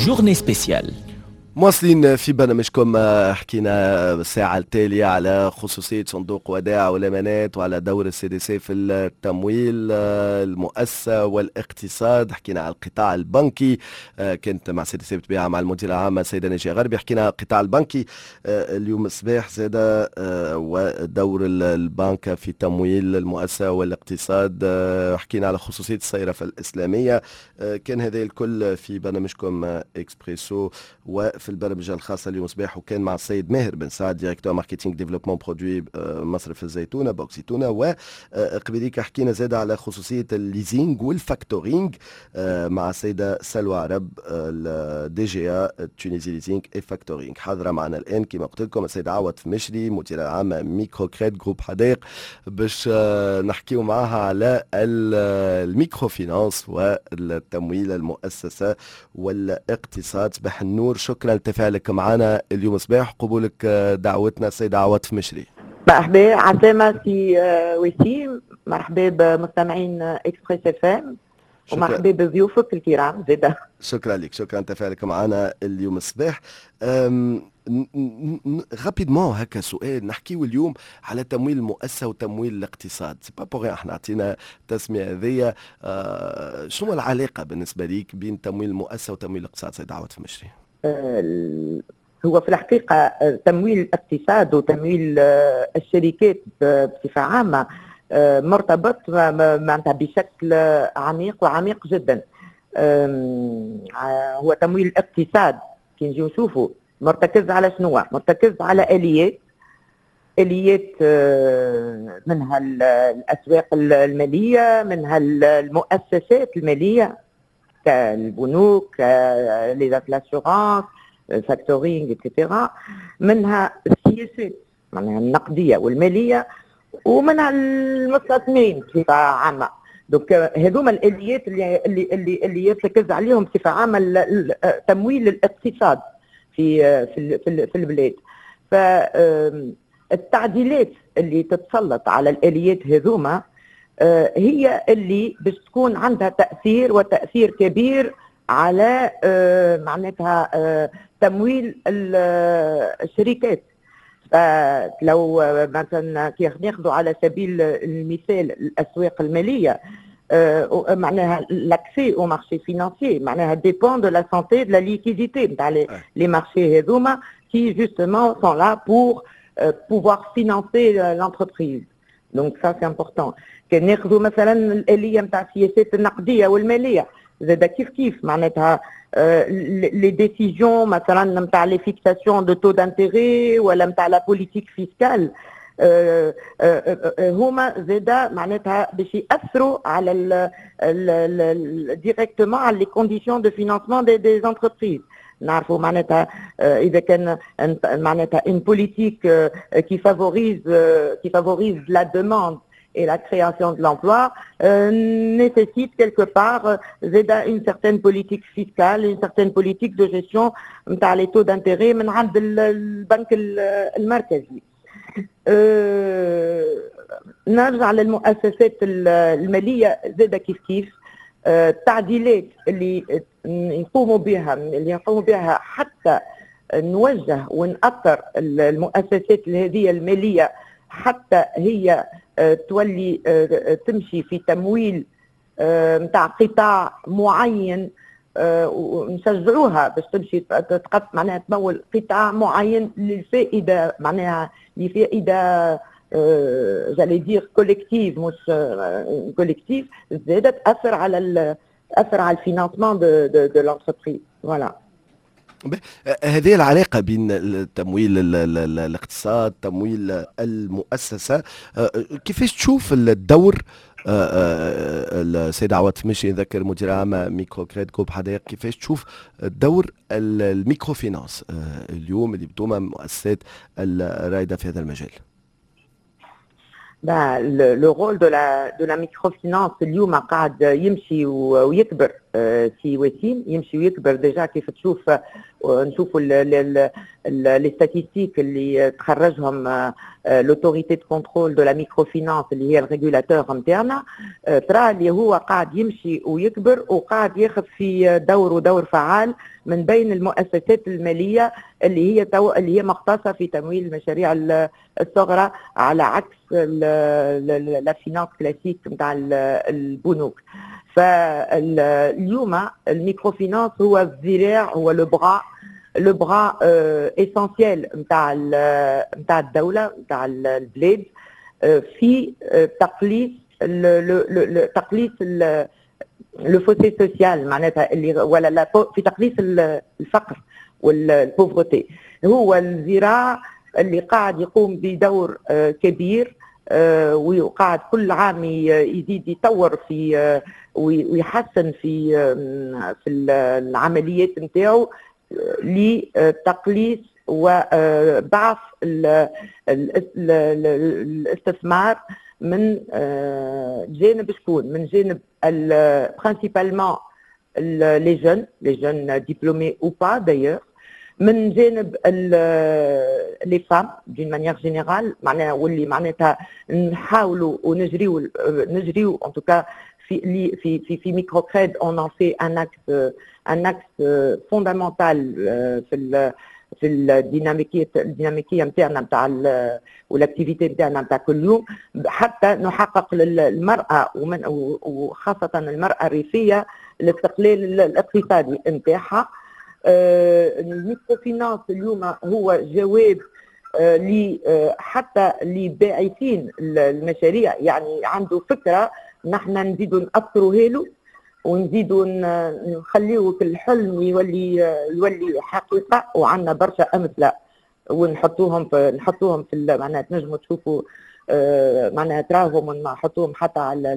Journée spéciale. مواصلين في برنامجكم، حكينا الساعة التالية على خصوصية صندوق ودائع والأمانات وعلى دور ال CDC في التمويل المؤسسة والاقتصاد. حكينا على القطاع البنكي، كانت مع CDC بطبيعة مع المديرة العامة السيدة ناجية غربي. حكينا على القطاع البنكي اليوم الصباح زادة ودور البنك في تمويل المؤسسة والاقتصاد. حكينا على خصوصية الصيرفة الإسلامية. كان هذا الكل في برنامجكم اكسبريسو وفي البرمجة الخاصة اليوم صباح، وكان مع السيد ماهر بن سعد، directeur marketing développement produit مصرف الزيتونه، بنك زيتونه. وقبليك حكينا زاد على خصوصية ال leasing وال factoring مع السيدة سلوى عرب، ال DGA Tunisie Leasing et Factoring. حاضره معنا الان كما قلت لكم السيدة عواطف مشري، مديره عامة Microcred groupe حدائق، باش نحكيو معها على ال microfinance والتمويل المؤسسة والاقتصاد. صباح النور، شكرا لتفاعلك معنا اليوم صباح، قبولك دعوتنا السيدة عواطف مشري. مرحبا، عسلامة سي وسيم، مرحبا بمستمعين Express FM ومرحبا بضيوفك الكرام زاده. شكرا لك، شكرا تفاعلك معنا اليوم الصباح. rapidement هكا سؤال، نحكيو اليوم على تمويل المؤسسة وتمويل الاقتصاد، c'est pas pour rien احنا عطينا التسمية هذيا. شنو العلاقة بالنسبة ليك بين تمويل المؤسسة وتمويل الاقتصاد سيد عواطف مشري؟ هو في الحقيقة تمويل الاقتصاد وتمويل الشركات بصفة عامة مرتبط معناتها بشكل عميق وعميق جدا. هو تمويل الاقتصاد كي نجيو نشوفوا مرتكز على شنو؟ مرتكز على اليات، اليات منها الاسواق الماليه، منها المؤسسات المالية كالبنوك، les assurances، factoring et cetera، منها السياسات معناها النقدية والماليه، ومنها المستثمرين بصفة عامه. donc هذوما الاليات اللي يرتكز عليهم بصفة عامة تمويل الاقتصاد في البلاد. فالتعديلات اللي تتسلط على الاليات هذوما هي اللي باش تكون عندها تاثير وتاثير كبير على معناتها تمويل الشركات. فلو مثلا كي ناخذوا على سبيل المثال الاسواق الماليه، معناها l'accès au marché financier معناها dépend de la santé de la liquidité نتاع les marchés هذوما qui justement sont là pour pouvoir financer l'entreprise. donc ça c'est important. كان ناخذوا مثلا الالية نتاع السياسات النقدية والمالية زاد كيف كيف، معناتها les décisions مثلا نتاع les fixations de taux d'intérêt ولا نتاع la politique fiscale هما زادا معناتها باش ياثروا على directement على les conditions de financement des entreprises. نعرفوا معناتها اذا كان معناتها une politique qui favorise la demande et la création de l'emploi nécessite quelque part une certaine politique fiscale, une certaine politique de gestion نتاع les taux d'intérêt من عند البنك المركزي. نرجع للمؤسسات المالية زادة كيف كيف، التعديلات اللي يقوموا بها حتى نوجه ونأطر المؤسسات هذه المالية حتى هي تولي تمشي في تمويل نتاع قطاع معين ونشجعوها باش تمشي تقط معناها تمول قطاع معين للفائده، معناها لفائدة j'allais dire collective مش collective، زادت تاثر على ال financement de l'entreprise، voilà. هذه العلاقة بين التمويل الاقتصاد، تمويل المؤسسة، كيفاش تشوف الدور السيد عواطف مشري، نذكر مدير عام Microcred groupe حدائق، كيفاش تشوف دور ال microfinance اليوم اللي بتوما مؤسسات الرائدة في هذا المجال؟ Le rôle de la microfinance اليوم قاعد يمشي ويكبر سي وسيم، يمشي ويكبر. déjà كيف تشوف نشوفوا les statistiques اللي تخرجهم l'autorité de contrôle de la microfinance اللي هي ال régulateur نتاعنا، ترى اللي هو قاعد يمشي ويكبر وقاعد ياخذ في دور ودور فعال من بين المؤسسات المالية اللي هي مختصة في تمويل المشاريع الصغرى، على عكس la finance classique نتاع البنوك. فاليوم ال microfinance هو الذراع، هو le bras essentiel نتاع الدوله، نتاع البلاد في تقليص le fossé social معناتها اللي ولا لا في تقليص الفقر وال pauvreté. هو الذراع اللي قاعد يقوم بدور كبير وقاعد كل عام يزيد يطور في ويحسن في العمليات نتاعو لتقليص وضعف الاستثمار من جانب شكون؟ من جانب principalement les jeunes diplômés ou pas d'ailleurs، من جانب les femmes d'une manière générale، معناها واللي معناتها نحاولوا ونجريو نجريو en tout cas في Microcred on en fait un axe fondamental في الديناميكيه نتاعنا نتاع وال activité نتاعنا نتاع كل يوم، حتى نحقق للمراة ومن وخاصة المراة الريفية الاستقلال الاقتصادي نتاعها. ال microfinance اليوم هو جواب حتى لباعثين المشاريع، يعني عنده فكره، نحن نزيدوا نأطروها له ونزيدوا نخليه الحلم يولي حقيقه. وعندنا برشا امثلة ونحطوهم في معناها تنجموا تشوفوا معناها تراهم ونحطوهم حتى على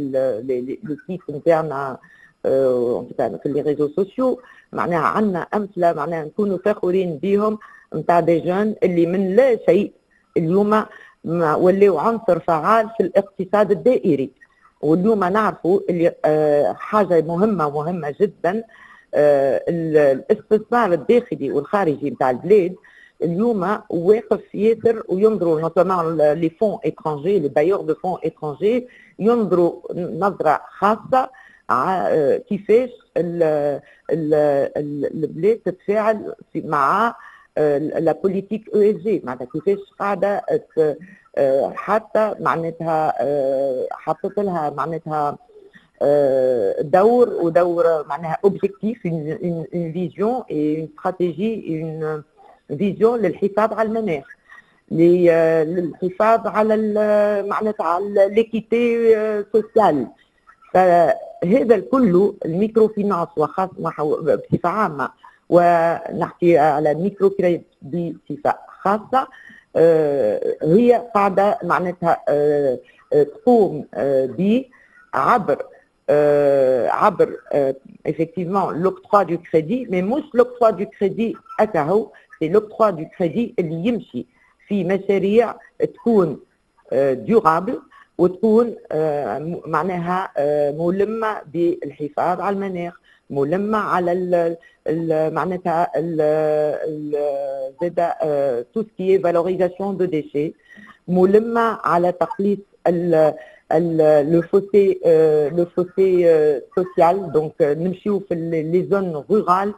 les sites نتاعنا، في les réseaux sociaux. معناها عندنا امثلة معناها نكونوا فخورين بهم نتاع des jeunes اللي من لا شيء اليوم ولاو عنصر فعال في الاقتصاد الدائري. واليوم نعرفوا اللي حاجة مهمة مهمة جدا، الاستثمار الداخلي والخارجي نتاع البلاد اليوم واقف ياسر، وينظروا notamment les fonds étrangers، les bailleurs de fonds étrangers ينظروا نظره خاصة كيفاش البلاد تتفاعل مع la politique ESG، معناتها كيفاش قاعدة حتى معناتها حطت لها معناتها دور ودور معناها objectif، une vision et une stratégie، une vision للحفاظ على المناخ، للحفاظ على معناتها على l'équité sociale. فهذا الكل ال microfinance وخاص بصفة عامه، ونحكي على microcrédit بصفة خاصه، هي قاعدة معناتها تقوم ب عبر effectivement l'octroi du crédit، mais مش l'octroi du crédit أكاهو، c'est l'octroi du crédit اللي يمشي في مشاريع تكون durable وتكون معناها ملمة بالحفاظ على المناخ، ملمة على ال معناتها زاد tout ce qui est valorisation de déchets، ملمة على تقليص le fossé social، donc نمشيو في les zones rurales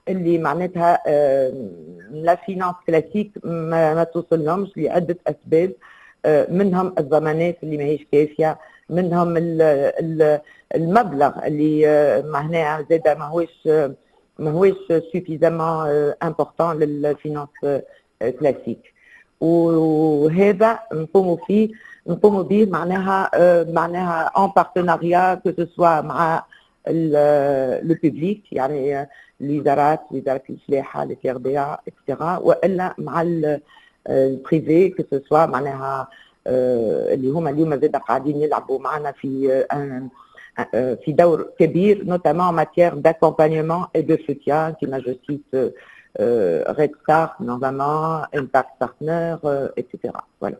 اللي معناتها la finance classique ما توصلهمش لعدة اسباب، منهم الضمانات اللي ماهيش كافيه، منهم المبلغ اللي معناها زاد ماهوش suffisamment important لل finance classique. وهذا نقوموا به معناها en partenariat que ce soit مع le public، يعني الوزارات، وزارة الفلاحه، les CRDA et cetera، والا مع ال privé، que ce soit معناها اللي هما اليوم زاد قاعدين يلعبوا معنا في دور كبير، notamment en matière d'accompagnement et de soutien، كما je cite Red Star, notamment Impact Partner, etc. Voilà.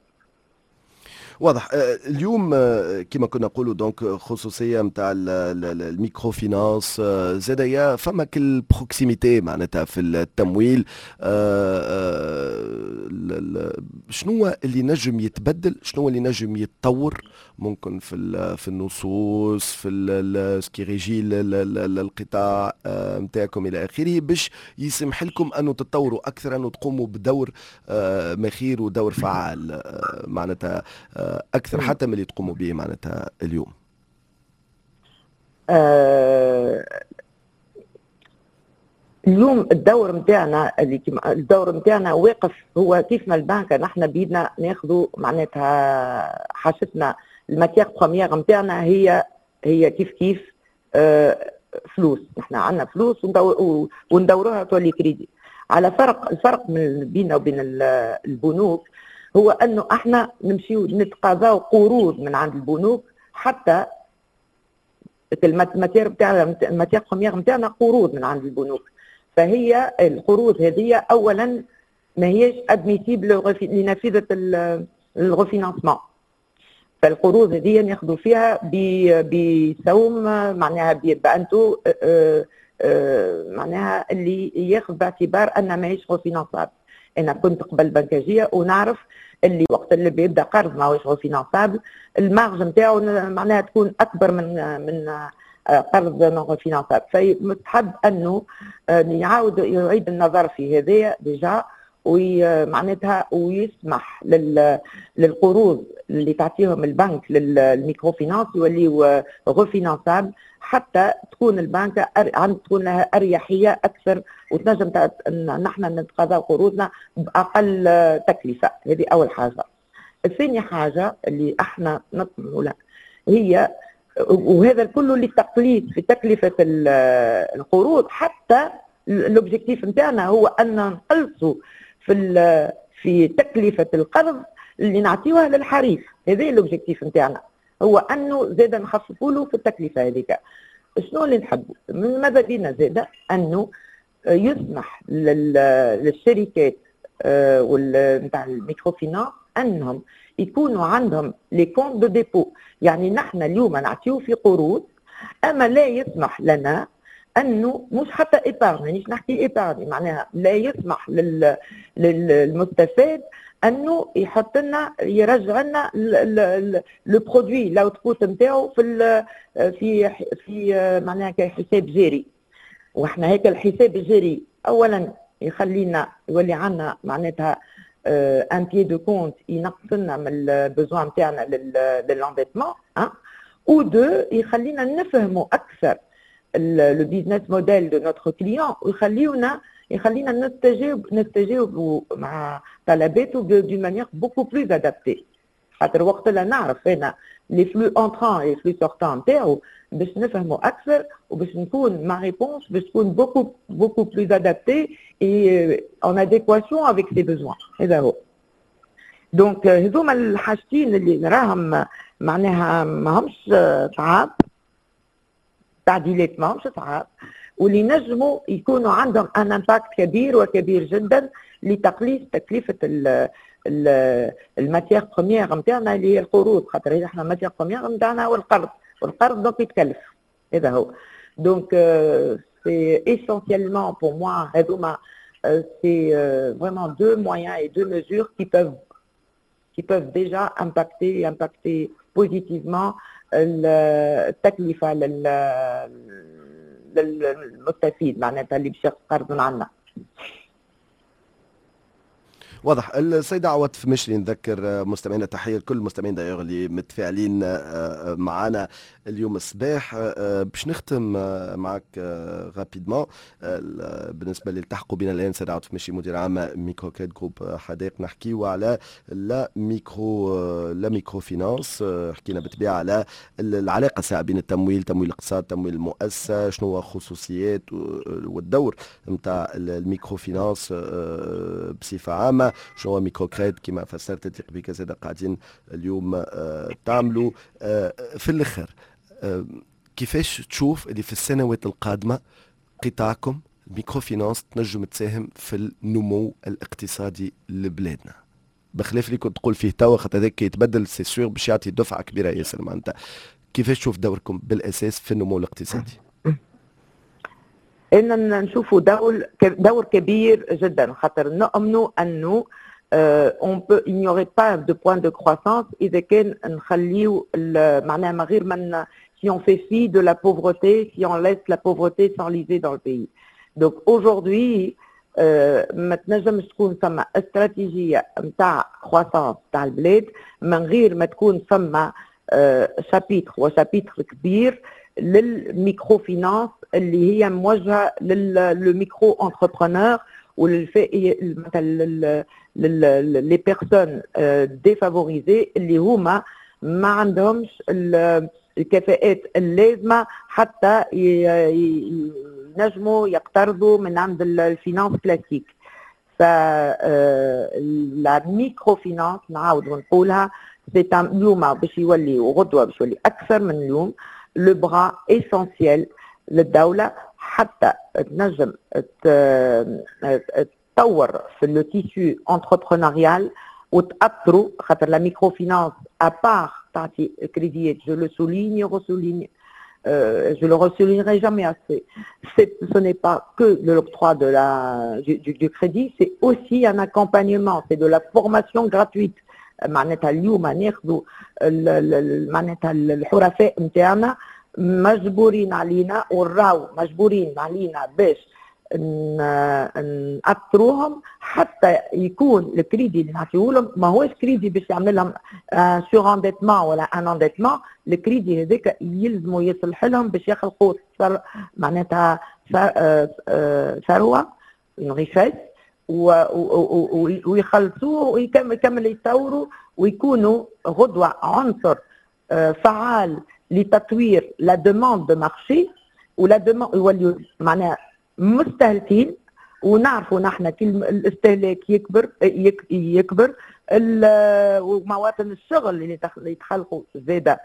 واضح. اليوم كما كنا نقولوا donc خصوصية نتاع ال microfinance، زاد فما كل proximité معناتها في التمويل. شنو اللي نجم يتبدل؟ شنو اللي نجم يتطور ممكن في النصوص، في ce qui régit القطاع نتاعكم الى اخره، باش يسمح لكم انه تتطوروا اكثر، انه تقوموا بدور مخير ودور فعال معناتها اكثر حتى من اللي تقوموا به معناتها اليوم؟ اليوم الدور نتاعنا واقف هو كيف ما البنك، نحن بيدنا ناخذوا معناتها حاجتنا، ال matière première نتاعنا هي كيف كيف فلوس. نحن عندنا فلوس وندوروها تولي كريدي. على فرق، الفرق من بيننا وبين البنوك هو انه احنا نمشيو نتقاضاو قروض من عند البنوك، حتى ال matière بتاعنا، ال matière première نتاعنا قروض من عند البنوك. فهي القروض هذه اولا ما هيش admissible لنافذه ال refinancement. فالقروض هذه ناخذوا فيها بسوم معناها ب un taux معناها اللي ياخذ باعتبار ان ماهيش refinançable. انا كنت قبل بنكاجيه ونعرف اللي وقت اللي بيبدا قرض ماهوش refinançable، ال marge نتاعو معناها تكون اكبر من قرض non refinançable. فمستحب انه يعاود يعيد النظر في هذايا déjà ومعناتها ويسمح للقروض اللي تعطيهم البنك لل microfinance يوليو refinançables، حتى تكون البنك عند تكون لها اريحية اكثر وتنجم نحن نتقاضى قروضنا باقل تكلفه. هذه اول حاجه. الثاني حاجة اللي احنا نطمح لها هي، وهذا كله للتقليص في تكلفة القروض، حتى l'objectif نتاعنا هو ان نقلصوا في تكلفة القرض اللي نعطيوها للحريف. هذا l'objectif نتاعنا هو انه زاد نخففوا له في التكلفة هذيك. شنو اللي نحبوا من ماذا بينا زاد؟ انه يسمح للشركات نتاع ال microfinance انهم يكونوا عندهم les comptes de dépôt. يعني نحن اليوم نعطيو في قروض، اما لا يسمح لنا انه مش حتى épargne، مانيش نحكي épargne، معناها لا يسمح للمستفاد انه يحط لنا، يرجع لنا le produit، l'output نتاعو في معناها كحساب جاري. واحنا هيك الحساب الجاري اولا يخلينا يولي عندنا معناتها un pied de compte ينقص لنا من ال besoin نتاعنا لل l'endettement، un ou deux يخلينا نفهموا اكثر le business model de notre client ويخليونا يخلينا نستجاوب مع طلباته d'une manière beaucoup plus adaptée، خاطر وقت اللي نعرف انا les flux entrants les flux sortants نتاعو باش نفهموا اكثر وباش نكون ma réponse باش تكون beaucoup beaucoup plus adaptée et en adéquation avec ses besoins. هذا هو. donc هذوما الحاجتين اللي نراهم معناها ماهمش صعاب، تعديلات ماهمش صعاب، واللي نجموا يكونوا عندهم un impact كبير وكبير جدا لتقليص تكلفة ال matière première نتاعنا اللي هي القروض، خاطر احنا ال matière première نتاعنا هو القرض، والقرض donc يتكلف. هذا هو. donc c'est essentiellement pour moi هذوما، c'est vraiment deux moyens et deux mesures qui peuvent déjà impacter positivement التكلفة للمستفيد معناتها اللي باش ياخذ قرض من عندنا. واضح. السيدة عواطف مشري، نذكر مستمعينا، تحية لكل المستمعين d'ailleurs اللي متفاعلين معنا اليوم الصباح. باش نختم معك rapidement، بالنسبة اللي التحقوا بنا الآن، سيدة عواطف مشري، مدير عام Microcred Groupe حدائق، نحكيو على la microfinance. حكينا بالطبيعة على العلاقة ساعة بين التمويل، تمويل الاقتصاد، تمويل المؤسسة، شنو هو خصوصيات والدور نتاع ال microfinance بصفة عامة، شنو هو Microcred كما فسرت انت قبيك زاد قاعدين اليوم تعملوا. في الاخر كيفاش تشوف اللي في السنوات القادمة قطاعكم microfinance تنجم تساهم في النمو الاقتصادي لبلادنا؟ بخلاف اللي كنت تقول فيه توا، خاطر هذاك يتبدل c'est sûr باش يعطي دفعه كبيرة ياسر. معناتها كيفاش تشوف دوركم بالاساس في النمو الاقتصادي؟ ان نشوفوا دور كبير جدا، خاطر نؤمنوا انه on peut il n'y aurait pas de point de croissance اذا كان نخليو معناها ما غير من si on fait fi de la pauvreté، si on laisse la pauvreté s'enliser dans le pays. Donc aujourd'hui ما تنجمش تكون ثم استراتيجية نتاع croissance تاع البلاد من غير ما تكون ثم chapitre و chapitre كبير لل microfinance اللي هي موجهة لل micro-entrepreneur وللفئه مثلا les personnes défavorisées اللي هما ما عندهمش الكفاءات اللازمة حتى ينجموا يقترضوا من عند ال finance classique. ف la microfinance، نعاود ونقولها، c'est اليوم باش يولي وغدوه باش يولي اكثر من اليوم le bras essentiel للدولة حتى تنجم تطور في le tissu entrepreneurial وتأطروا، خاطر la microfinance à part تعطي كريديات، je le souligne، ressouligne، je le ressoulignerai jamais assez. Ce n'est pas que de l'octroi du crédit, c'est aussi un accompagnement, c'est de la formation gratuite. معناتها اليوم ناخذوا معناتها الحرفاء نتاعنا مجبورين علينا وراو مجبورين علينا باش نأطروهم حتى يكون الكريدي اللي نعطيه لهم ما هوش كريدي باش يعمل لهم surendettement ولا un endettement. ال crédit هذاك يلزموا يصلح لهم باش يخلقوا معناتها ثروه، une richesse، ويخلصوه ويكمل يطوروا ويكونوا غدوه عنصر فعال لتطوير la demande de marché و la demande، يوليو معناها مستهلكين. ونعرفوا نحن كل الاستهلاك يكبر يكبر ومواطن الشغل اللي يتخلقوا زاده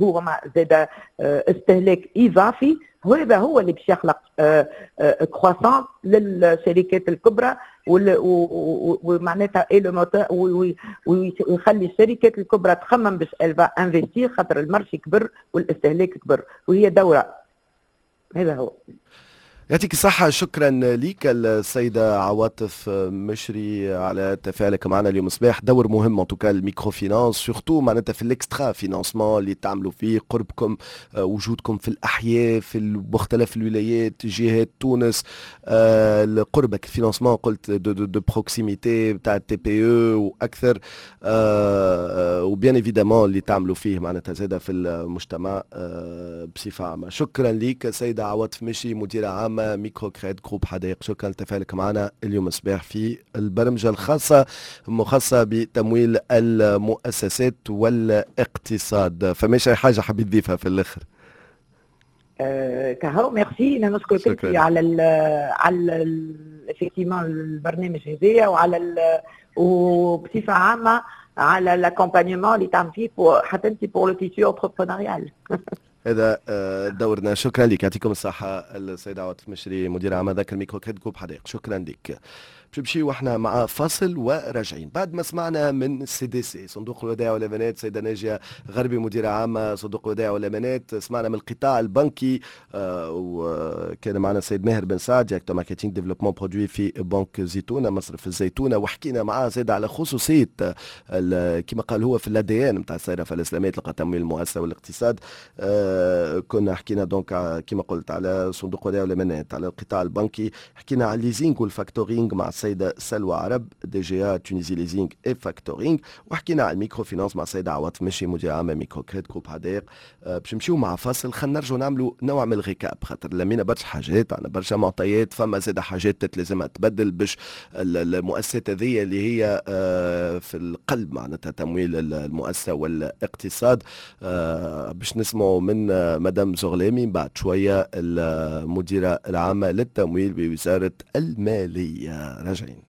هو ما زاد استهلاك اضافي. وهذا هو اللي باش يخلق croissance للشركات الكبرى ومعناتها ويخلي الشركات الكبرى تخمم باش elle va investir، خاطر ال marché كبر والاستهلاك كبر وهي دوره. هذا هو. يعطيك الصحة، شكرا لك السيدة عواطف مشري على تفاعلك معنا اليوم صباح. دور مهم en tout cas ال microfinance، surtout معناتها في ال extra-financement اللي تعملوا فيه، قربكم، وجودكم في الأحياء في مختلف الولايات، جهات تونس، قربك financement قلت de proximité تاع ال TPE واكثر، و bien évidemment اللي تعملوا فيه معناتها زاده في المجتمع بصفة عامة. شكرا لك سيدة عواطف مشري، مديرة عامة Microcred Groupe حدائق. شكرا لتفاعلك معنا اليوم الصباح في البرمجة الخاصة المخصصة بتمويل المؤسسات والاقتصاد. فماش أي حاجة حبيت تضيفها في الآخر؟ كهو، ميرسي، انا نشكرك على effectivement البرنامج هذايا وعلى وبصفه عامة على l'accompagnement اللي تعمل فيه حتى انت pour le tissu entrepreneurial. هذا دورنا. شكرا لك، يعطيكم الصحة السيدة عواطف مشري، مدير عام هذاك ال Microcred Groupe حدائق. شكرا لك. باش نمشيو احنا مع فاصل وراجعين بعد ما سمعنا من CDC صندوق الودائع والامانات، سيده ناجيه غربي، مديره عامة صندوق الودائع والامانات. سمعنا من القطاع البنكي وكان معنا السيد ماهر بن سعد، directeur marketing développement produit في بنك زيتونه، مصرف الزيتونه، وحكينا معاه زاد على خصوصية كما قال هو في l'ADN نتاع الصيرفه الاسلامية تلقى تمويل المؤسسة والاقتصاد. كنا حكينا donc كما قلت على صندوق الودائع والامانات، على القطاع البنكي، حكينا على ال leasing وال factoring مع السيدة سلوى عرب، DGA Tunisie Leasing et Factoring، وحكينا على ال microfinance مع السيدة عواطف مشري، مدير عام Microcred Groupe حدائق. باش نمشيو مع فاصل، خلينا نرجعوا نعملوا نوع من ال récap، خاطر لمينا برشا حاجات، عندنا برشا معطيات، فما زاد حاجات لازمها تبدل باش المؤسسات هذه اللي هي في القلب معناتها تمويل المؤسسة والاقتصاد. باش نسمعوا من مدام زغلامي بعد شويه، المديرة العامة للتمويل بوزارة الماليه. راجعين.